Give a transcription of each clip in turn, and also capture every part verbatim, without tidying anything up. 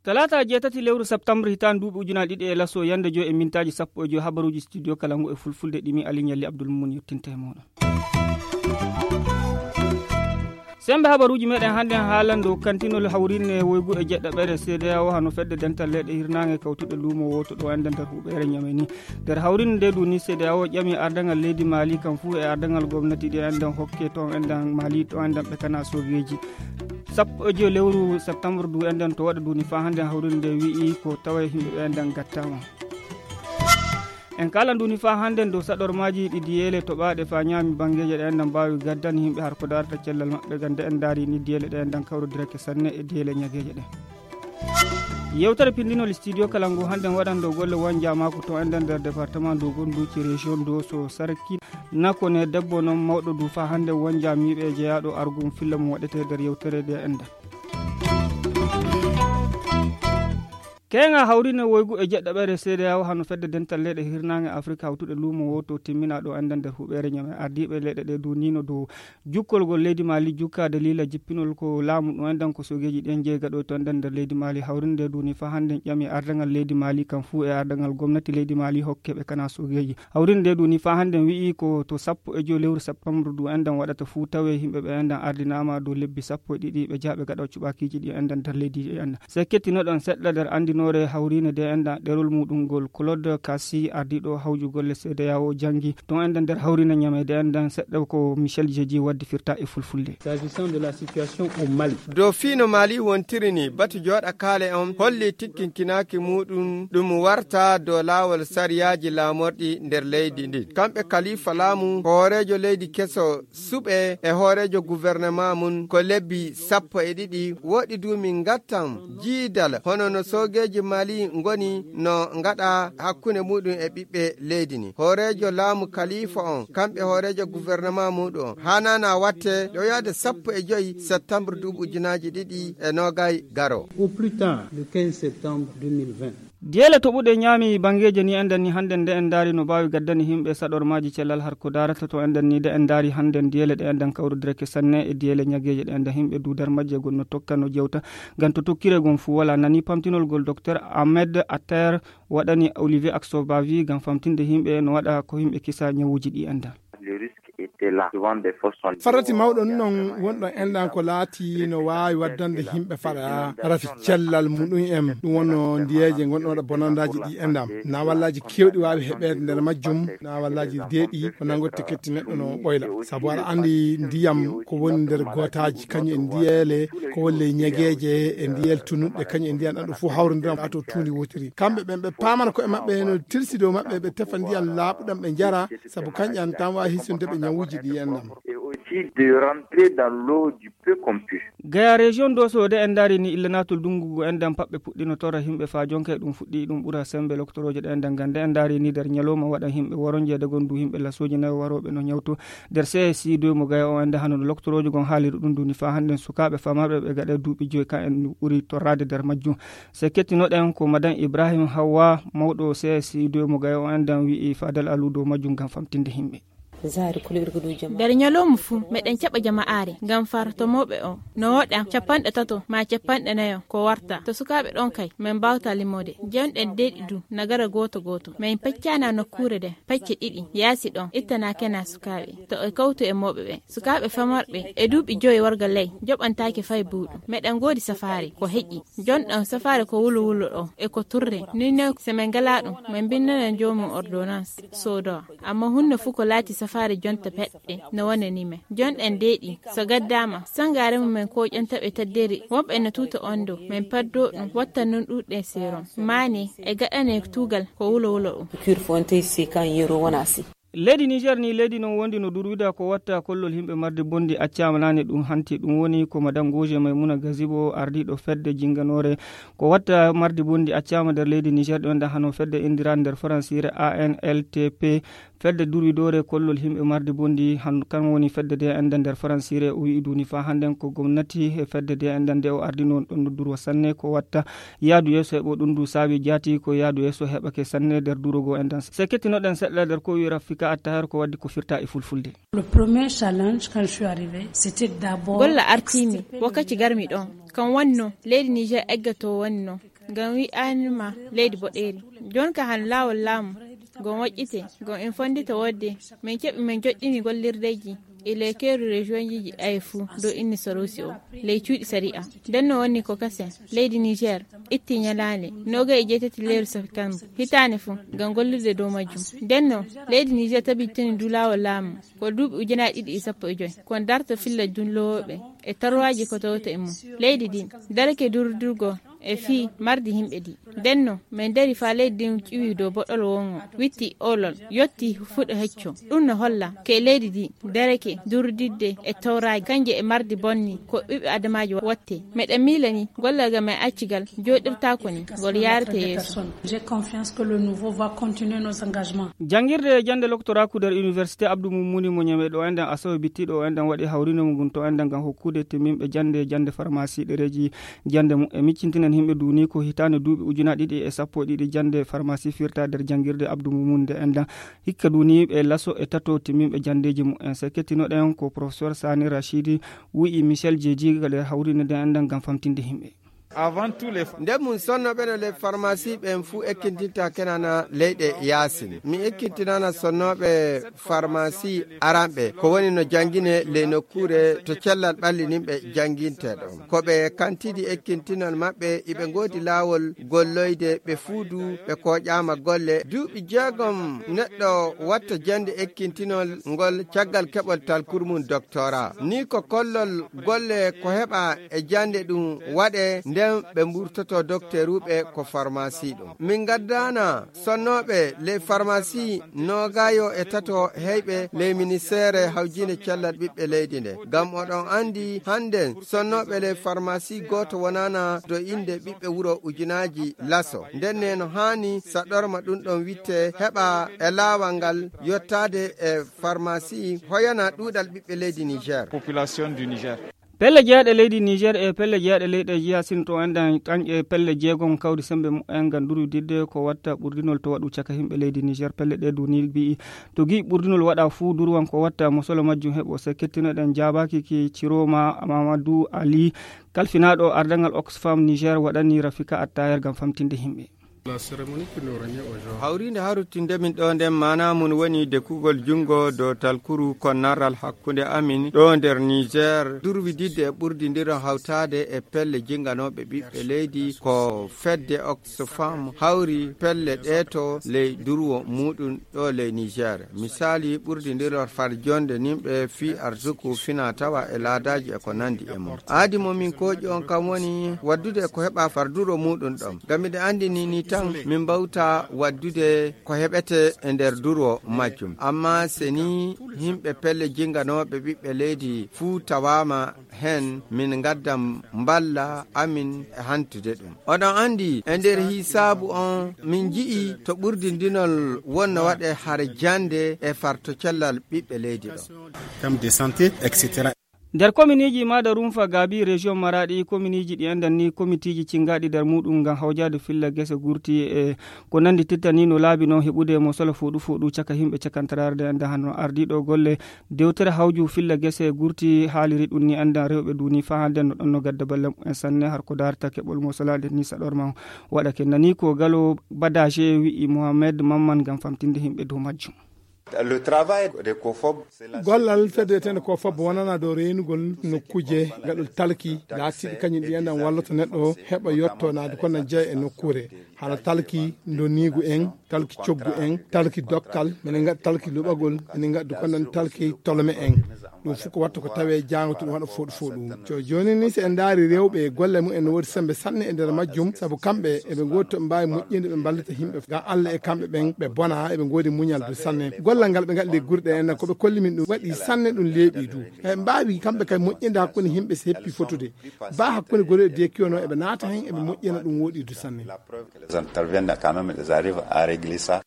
Talaata jeetati lewru septembre hitaande duuɓi ujunaaji ɗiɗi e laso yande joy e mintaaji sappo e joy, habaruuji studio kala ngu e fulfulde ɗimi Ali Ñalli Abdul Mumun yettinta e mooɗon. Sembe habaruuji meɗen hannden haalande o kantinol hawrinne woygu e jeɗɗaɓere C D A O hano fedde dental leyɗe hirnaange kawtuɗe luumo wooto ɗo enden nder huɓeere Ñamey ni. Nder hawrinne nde du ni C D A O ƴami ardangal leydi Mali kan fuu e ardangal gomnati ɗi enden hokke to enden Mali to enden ɓe kana sogeeji. Sappo e joy lewru septembre du enden to waɗa du ni faa hannden hawrinne nde wi'i ko tawa e yimɓe ɓe enden gattaama. En kala ndu ni faa hannden dow saɗormaaji ɗi diyeele toɓaaɗe faa ñaami banngeeje ɗe enden mbaawi gaddani yimɓe har ko darata cellal maɓɓe gam nde en ndaari ni diyeele ɗe enden kawrodira ke sanne e diyeele ñageeje ɗe. Yewtere pindinol studio kala ngu hannden waɗan dow golle wonjaamaaku to enden nder département ndu gonduuci région ndu so sarki nako ne debbo noon mawɗo du faa hannden wonjaamiiɓe jeyaaɗo argum filla mum waɗete nder yewtere nde enden. Keeŋa hawrine woygu e jeɗɗaɓere C D A O hano fedde dental leyɗe hirnaange Afirka hawtuɗe luumo wooto timminaa ɗo enden nder huɓeere Ñamey. Ardiiɓe leyɗe ɗe duuniino dow jukkolgol leydi Mali jukka daliila jippinol ko laamu ɗo enden ko sogeeji ɗen jeegaɗo to enden nder leydi Mali. Hawrinde duuni faa hannden ƴami ardangal leydi Mali kan fuu e ardangal gomnati leydi Mali hokke ɓe kana sogeeji. Hawrinde duuni faa hannden wi'i ko to sappo e joy lewru septembre du enden waɗata fuu tawe yimɓe ɓe enden ardinaama dow lebbi sappo e ɗiɗi ɓe jaha ɓe gaɗa cuɓaakiiji ɗi enden nder leydi ɗi enden. Se kettinoɗon seɗɗa nder anndinoore hawriine de enden ɗerol muɗum ngol Claude Cassi ardiiɗo hawju golle C D A O janngi to enden nder hawriine Ñamey de enden seɗɗa ko Michel Jeji waddi firta e fulfulde. S'agissant de la situation au Mali. Dow fii no Mali wontiri ni batu jooɗa kaale on holli tikkinkinaaki muɗum ɗum warta dow laawol sariyaaji laamorɗi nder leydi ndin. Kamɓe kalifa laamu ko hooreejo leydi keso suɓe e hooreejo gouvernement mum ko lebbi sappo e ɗiɗi woɗi du min ngattan jiidal hono no soogeeji Mali ngoni no ngaɗa hakkunde muɗum e ɓiɓɓe leydi ni. Hooreejo laamu kalifa on kamɓe hooreejo gouvernement muɗum on hanana watte ɗo yaade sappo e joy septembre duuɓi ujunaaji ɗiɗi e noogay garo. Au plus tard le quinze septembre deux mille vingt. Diyeele toɓuɗe ñaami banngeeje ni enden ni hannden nde en ndaari no mbaawi gaddani yimɓe saɗormaaji cellal har ko daarata to enden ni nde en ndaari hannden diyeele ɗe enden kawrodire ke sanne e diyeele ñageeje ɗe enden yimɓe duudar majje gon no tokka no jewta ngam to tokkire gon fuu wala nani pamtinol gol docteur Ahmed Atter waɗani Olivier Aksobavi ngam famtinde yimɓe no waɗa ko yimɓe kisa ñawuuji ɗi enden. Farati mawɗo non wonɗo enɗan ko laati no waawi waddande yimɓe faɗa rafi cellal muɗum en ɗum wonno ndiyeeje gonɗo waɗa bonandaaji ɗi enɗam nawallaaji keewɗi waawi heɓeede nder majjum nawallaaji deeɗi ko nanngotte ketti neɗɗo no ɓoyla sabu aɗa anndi ndiyam ko woni nder gootaaji kañum e ndiyeele ko wolle ñegeeje e ndiyel tunuɗɗe kañum e ndiyam ɗam ɗo fof hawrondiram ato tuundi wotiri kamɓe ɓen ɓe paamana ko e maɓɓe no tirsi dow maɓɓe ɓe tefa ndiyam laaɓuɗam ɓe njara sabu kañƴam tan waawi hisinde ɓe ñawuuji ɗi enɗam. Gaya région doso de en ndaari ni illa naatol dunngu ngu enɗam paɓɓe puɗɗino torra yimɓe faa jonka e ɗum fuɗɗi ɗum ɓura sembe loktorooje ɗe enɗam ngam nde en ndaari ni nder ñalawma waɗan yimɓe woronjeede gon du yimɓe lasooji nayo warooɓe no ñawto nder C S I deux mo Gaya o ende hano no loktoroojo gon haaliri ɗum duni faa hannden sukaaɓe famarɓe ɓe gaɗa duuɓi joy kan en ɓuri torraade nder majjum. Se kettinoɗen ko madan Ibrahim Hawwa mawɗo C S I deux mo Gaya o enɗam wi'i Fadal Alu dow majjum ngam famtinde yimɓe. Nder ñalawma fuu meɗen caɓa jama'aare ngam fartomooɓe o no woɗa capanɗe tato maa capanɗe nayo ko warta to sukaaɓe ɗon kay min mbaawta limoode jonɗen deeɗi du nagara gooto gooto min peccana nokkuure nde pecce ɗiɗi yaasi ɗon ittana kena sukaaɓe to e kawtu e mooɓe ɓe sukaaɓe famarɓe e duuɓi joyi warga ley joɓantaake fay buuɗu meɗen ngoodi safaare ko heƴi jonɗon safaare ko wulo wulo ɗo e ko turre ni ne so min ngalaa ɗum min mbinnana joomum ordonnance soodowa amma hunde fuu ko laati safaare jonta peɗɗe no wonani men jonɗen deeɗi so gaddaama sangaare mum men ko ƴonta ɓe tadderi wonɓe no tuuta on dow min paddo ɗum watta non ɗuuɗɗe seerom maane e gaɗane tuugal ko wulo wulo ɗum. Leydi Niger ni leydi non wondi no durwida ko watta kollol yimɓe marde bondi accaama naane ɗum hanti ɗum woni ko madan Goje Maymuna Gazibo ardiiɗo fedde jinganoore ko watta marde bondi accaama nder leydi Niger ɗo enda hano fedde indira nder faransiire A N L T P Fedde durwidoore kollol yimɓe mardi bonndi han kan woni fedde de enda nder faransiire o wi'i duni faa hannden ko gomnati e fedde de enda nde o ardino ɗon durwa sanne ko watta yaadu yeeso heɓo ɗum du saabi jaati ko yaadu yeeso heɓake sanne nder durogo endan se kettinoɗen seɗɗa nder ko wi'i rafika attahar ko waddi ko firta e fulfulde. Golla artiimi wakkati garmi ɗon kam wonno leydi niger eggato wonno ngam wi'anima leydi boɗeeri. Jooni ka han laawol laamu ngo moƴƴite ngo en fonndita wodde min keɓi min joɗɗini gollirdeeji e ley keeru region ji aye fuu dow inni saruusi o ley cuuɗi sari'a. Nden no wonni ko kasen leydi niger itti ñalaande noogay e jeetati lewru septembre hitaande fuu ngam gollirde dow majjum. Nden no leydi niger tabitini du laawol laamu ko duuɓi ujunaaji ɗiɗi e sappo e joy ko darta filla dullowooɓe e tarwaaji ko tawta e mum. Leydi ndin darake durdirgo e fii mardi yimɓe ɗi. Ndenno min dari faa leydi ndin ƴiwi dow boɗol wongo witti olol yotti fuɗo hecco. Ɗum no holla ke leydi ndi darake durdidde e tawraaji kanje e mardi bonni ko ɓiɓɓe adamaaji watte. Meɗen miilani gollal ga men accigal jooɗirtaako ni ngol yaarete yeeso. J'ai confiance que le nouveau va continuer nos engagements. Janngirde e jannde loktoraaku nder université abdou mummuni mo ñame ɗo enɗen asawe bittiɗo o enɗen waɗi hawrino mum ngun to enɗen ngam hokkude timminɓe jannde jannde farmasi ɗereeji jannde mum e miccintinen yimɓe duni ko hitaande duuɓi ujunaaji ɗiɗi e sappo e ɗiɗi jannde farmasi firta nder janngirde abdou mummuni nde enɗen hikka duni ɓe laso e tato timminɓe janndeeji mum en se kettinoɗen ko professeur sani rachidi wi'i michel jeeji nder hawrino nde enɗen ngam famtinde yimɓe. Avant tout les nde mum sonnoɓe no ley farmasi ɓen fuu ekkintinta kenana leyɗe yaasin mi ekkintinana sonnoɓe farmasi aranɓe ko woni no janngine ley nokkuure to cellal ɓallininɓe jannginte ɗon ko ɓe kantidi ekkintinol maɓɓe iɓe ngoodi laawol golloyde ɓe fuu du ɓe kooƴaama golle duuɓi jeegom neɗɗo watta jannde ekkintinol ngol caggal keɓol talkur mum doctorat ni ko kollol golle ko heɓa e jannde ɗum waɗe nden ɓe mburtoto dokteruɓe ko farmasi ɗum min ngaddana sonnooɓe ley farmasi noogayo e tato heyɓe ley ministeere hawjinde cellal ɓiɓɓe leydi nde ngam oɗon anndi hannden sonnooɓe ley farmasi gooto wonana do innde ɓiɓɓe wuro ujunaaji laso ndenne no haani saɗorma ɗum ɗon witte heɓa e laawal ngal yottaade e farmasi hoyana ɗuuɗal ɓiɓɓe leydi niger. Population du niger. Pelle jeeɗe leydi niger e pelle jeeɗe leyɗe jiya sinto enɗen tañƴe pelle jeegom kawri sembe mumen ngam durwididde ko watta ɓurdinol to waɗu caka yimɓe leydi niger pelle ɗe duni mbi'i to gi'i ɓurdinol waɗa fuu durwan ko watta mosolo majjum heɓo se kettinoɗen jaabaaki ki ciroma mamadou ali kalfinaaɗo ardangal oxfam niger waɗani rafika attayer ngam famtinde yimɓe. Hawriinde harutinde min ɗo nden maana mum woni dekugol junngo dow talkuru konnaral hakkunde amin ɗo nder niger durwididde e ɓurdindiro hawtaade e pelle jinnganooɓe ɓiɓɓe leydi ko fedde oxfam hawri pelle ɗeeto ley durwo muɗum ɗo ley niger misali ɓurdindiro farjonde nimɓe fii arsuku fina tawa e laadaaji e ko nanndi e mum aadi mo min kooƴi on kam woni waddude ko heɓa farduro muɗum ɗon ngam miɗo anndi ni ni tan min mbawta waddude ko heɓete e nder duro majjum amma se ni yimɓe pelle jinnganooɓe ɓiɓɓe leydi fuu tawaama heen min ngaddan mballa amin e hantude ɗum oɗon anndi e nder hisaabu on min nji'i to ɓurdindinol wonno waɗe har jannde e farto cellal ɓiɓɓe leydi ɗo. Nder kominiiji maada rumfa gaabi region maraɗi kominiiji ɗi enɗan ni komitiiji cingaɗi nder muɗum ngam hawjaade filla gese gurti e ko nanndi tittani no laabi noon heɓude mo solo fooɗu fooɗu caka yimɓe cakantararde enɗan hanno ardiiɗo golle dewtere hawju filla gese gurti haaliri ɗum ni enɗan rewɓe duni faa hannden no ɗon no gadda balle mumen sanne har ko daarta keɓol mo solaade ni saɗorma waɗa ke nani ko galo badaje wi'i mohammed mamman ngam famtinde yimɓe dow majjum. Gollal fedde wiyetende ko fobbo wonana dow reynugol nokkuje gaɗol talki laatiɗi kañum ɗi enɗan wallata neɗɗo heɓa yetto naade ko na jeeya e nokkuure hano talki ndoniigu en talki coggu en talki dokkal minen ngaɗa talki luɓagol minen ngaɗa ko nan talki tolome en. Ɗum fof ko watta ko tawe jaango to ɗum waɗa fooɗu fooɗu. Jooni ni so en ndaari rewɓe e golle mumen no woodi sembe sanne e nder majjum sabu kamɓe eɓe ngoodi to ɓe mbaawi moƴƴinde ɓe mballita yimɓe ngam Allah e kamɓe ɓen ɓe bona eɓe ngoodi muñal du sanne. Gollal ngal ɓe ngaɗi ley gure ɗe enna ko ɓe kolli min ɗum waɗi sanne ɗum leeɓi du. Eɓe mbaawi kamɓe kadi moƴƴinde hakkunde yimɓe so heppi fotude ba hakkunde gori e dekiyono eɓe naata hen eɓe moƴƴina ɗum woɗi du sanne. Les interviennent quand même, ils arrivent à régler ça.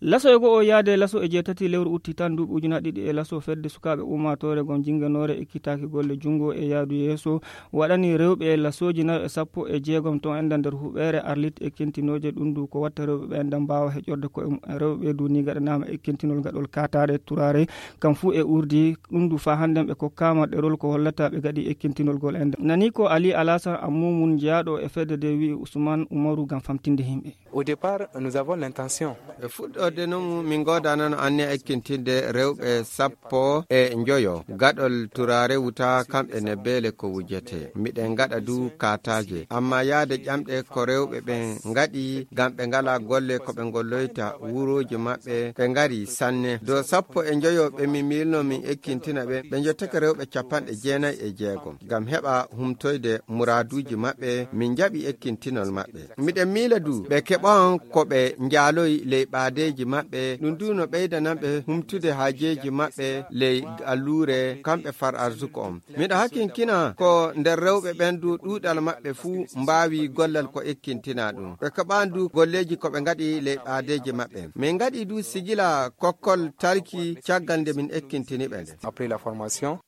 Laso e go'o yaade laso e jeetati lewru utti tan duuɓi ujunaaji ɗiɗi e laso fedde sukaaɓe ummaatoore gom jinnganoore ekkitaaki golle junngo e yaadu yeeso waɗani rewɓe lasooji nayo e sappo e jeegom ton enda nder huɓeere arlit e kentinooje ɗum du ko watta rewɓe ɓe enda mbaawa heƴorde koye mum en rewɓe ɓe du ni gaɗanaama e kentinol gaɗol kaataare turaare kam fuu e urdi ɗum du faa hannden ɓe kokkaama ɗerol ko hollata ɓe gaɗi e kentinol gol enda nani ko ali alasan ammumun jeyaaɗo e fedde de wi'i usman umaru ngam famtinde yimɓe. Au départ, nous avons l'intention. E fuɗɗorde non min ngodanano anniya ekkintinde rewɓe sappo e njoyo gaɗol turaare wuta kamɓe ne beele ko wujete miɗen ngaɗa du kataaje amma yaade ƴamɗe ko rewɓe ɓen ngaɗi ngam ɓe ngala golle ko ɓe ngolloyta wuroji maɓɓe ɓe ngari sanne do sappo e njoyo ɓe mi milno min ekkintina ɓe ɓe jottake rewɓe capanɗe jeenayi e jeegom ngam heɓa humtoyde muraduji maɓɓe min jaɓi ekkintinol maɓɓe. Miɗen miila du ɓe keɓan ko ɓe njaaloyi ley ɓaadeeji maɓɓe, ɗum du no ɓeydananɓe humtude haajeeji maɓɓe ley alluure kamɓe far arsuko on. Miɗo hakinkina ko nder rewɓe ɓen du ɗuuɗal maɓɓe fuu mbaawi gollal ko ekkintinaa ɗum. Ɓe keɓan du golleeji ko ɓe ngaɗi ley ɓaadeeji maɓɓe. Min ngaɗi du sigila kokkol talki caggal nde min ekkintini ɓe nde. Après la formation.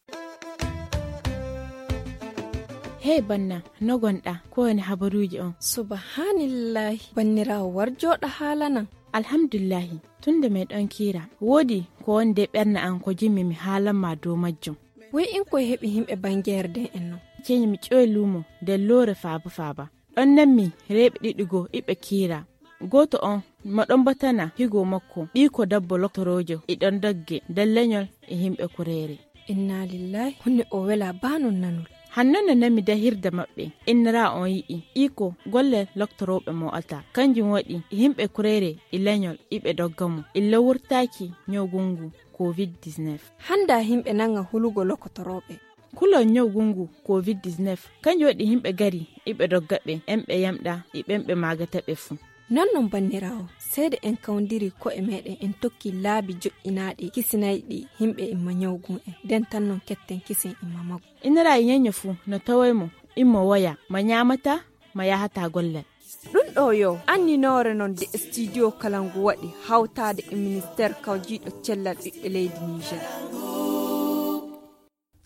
Hey banna, no gonɗa? Ko woni habaruuji on? Subhanillahi, banniraawo war jooɗa haalanan. Alhamdulillahi, tun nde meɗon kiira, woodi ko woni de ɓernde an ko jimmi mi haalan ma dow majjum. Wey in koye heɓi himɓe bangeere den en non? Ceñi mi ƴoy luumo de loore faaba faaba. Ɗon nanmi reeɓe ɗiɗi goo iɓe kiira. Gooto on mo ɗon batana higo makko ɓiiko dabbo loktoroojo iɗon dogge nder leñol e himɓe kureere. Inna lillahi, honno o wela baa non nanol? Hanno no nami dahirde maɓɓe innira on yi'i iko golle loktorooɓe mo alta kanjum waɗi yimɓe kureere e leñol iɓe dogga mo illa wurtaaki ñawgu ngu covid dix-neuf. Hannda yimɓe nanga hulugo lokotorooɓe. Kulol ñawgu ngu covid dix-neuf kanjum waɗi yimɓe gari iɓe dogga ɓe en ɓe yamɗa e ɓen ɓe maagata ɓe fuu. Non non banniraawo, seede en kawndiri ko'e meɗen en tokki laabi joƴƴinaaɗi kisinayɗi yimɓe imma ñawgun en, nden tan non ketten kisen imma maggu. Inira e ñeño fuu no taway mo immo woya ma ñaamata ma yahata gollal. Ɗum ɗo yo anninoore non de studio kala ngu waɗi hawtaade e ministeer kawjiiɗo cellal ɓiɓɓe leydi Niger.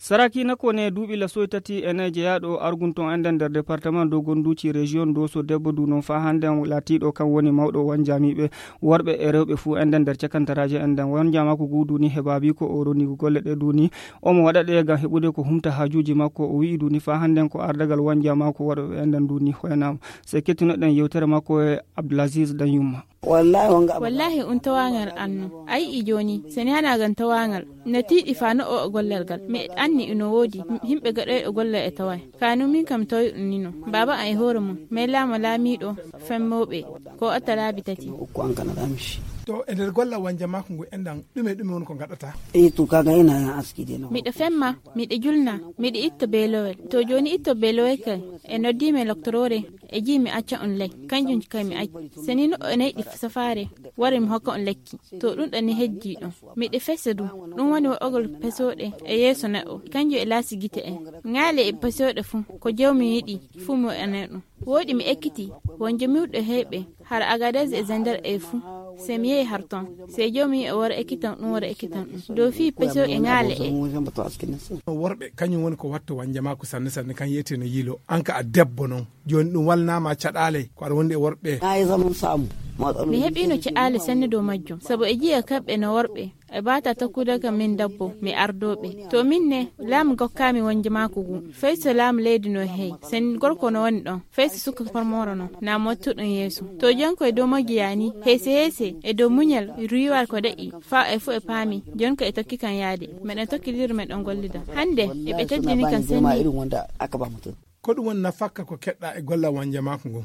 Saraki nakone duuɓi lasoy tati e nayi jeyaaɗo argunton enden nder département dow gonduuci région doso debbo du non faa hannden laatiiɗo kan woni mawɗo wanjamiiɓe worɓe e rewɓe fuu enden nder cakantaraaje enden wanjamaaku guu duni he baabiiko o ronigu golle ɗe duni omo waɗa ɗe ngam heɓude ko humta haajuuji makko o wi'i duni faa hannden ko ardagal wanjamaaku worɓe ɓe enden duni hoyanaama. Sey kettunoɗen yewtere makko e abdulaziz dan yumma. Wallahi un tawaangal annu a yi'i jooni. Seni hana gan tawaangal no tiiɗi faa no o gollal gal mi anni ino woodi. Himɓe gaɗoyɗo gollal e tawaay kanu min kam tawi un nino baaba an e hoore mum. Mai laama laamiiɗo femmooɓe ko otta laabi tati. To e nder gollal wanja maako ngu enɗan ɗume ɗume woni ko gaɗata? Miɗo femma, miɗo julna, miɗo itta beelowel. To jooni itto beelowel kay e noddiimi e loktoroore. E jii mi acca on ley kanjum kay mi acci. Seni no o neyɗi safaare wari mi hokka on lekki. To ɗum ɗo ni hejji ɗon miɗo fesa du. Ɗum woni waɗogol pesooɗe e yeeso neɗɗo kanjum e laasi gite en. Ŋaale e pesooɗe fuu ko jawmi yiɗi fuu mi waɗanay ɗum. Wooɗi mi ekkiti won jomiwɗo heeɓe har agadez e zender e fuu. Sey mi yehi har ton sey jawmi e wara ekkitan ɗum wara ekkitan ɗum dow fii pesooɗe ŋaale e. Worɓe kañum woni ko watta wanja maako sanne sanne kan yeyete no yiilo an ka a debbo non. Jooni ɗum walnaama caɗaale ko aɗa wondi e worɓe. Mi heɓiino caɗaale sanne dow majjum sabu e jiya kamɓe no worɓe. E baata tokkude kam min dabbo mi ardooɓe to min ne laamu gokkaami wonje maako ngu. Fay so laamu leydi no heewi sen gorko no woni ɗon fay so suka formoro non na mottuɗum yeeso. To jonko e dow magiya ni heese heese e dow muñal riiwal ko deƴƴi faa e fuu e paami. Jonko e tokki kam yaade meɗen tokkidiri meɗen gollida hannde eɓe teddini kam senni. Ko ɗum woni nafakka ko keɗɗa e gollal wanja maako ngon?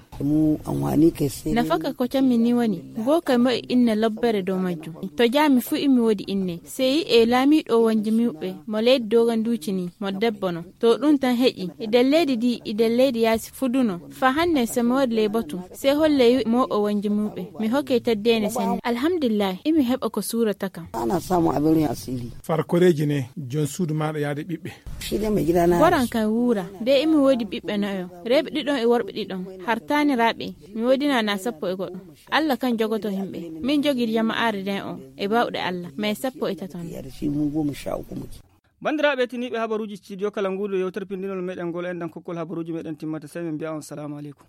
Nafakka ko cammi ni woni goo kay moƴƴi inna lobbere dow majjum. To jaami fuu imi woodi inne sey e laamiiɗo wonji miwɓe mo leydi doganduuci ni mo debbo no. To ɗum tan heƴi idan leydi ndi idan leydi yaasi fuduno faa hannde so mi woodi ley batu sey holley mooɓe wonji miwɓe mi hokkey teddeene sanne. Alhamdulillahi imi heɓa ko suurata kam. Farkoreeji ne jon suudu maaɗa yaade ɓiɓɓe. Goran kan wuura de imi woodi Ɓiɓɓe nayo, reeɓe ɗiɗon e worɓe ɗiɗon, har taaniraaɓe, mi woodinaa na sappo e goɗɗo. Alla kan jogoto himɓe. Min jogii jama'aare nden on e bawɗe Alla, mais sappo e taton. Banndiraaɓe tiniiɓe habaruuji studio kala nguudo yewtere pindinol meɗen ngol, enɗan kokkol habaruuji meɗen timmata, sey min mbiya on salaamu aleykum.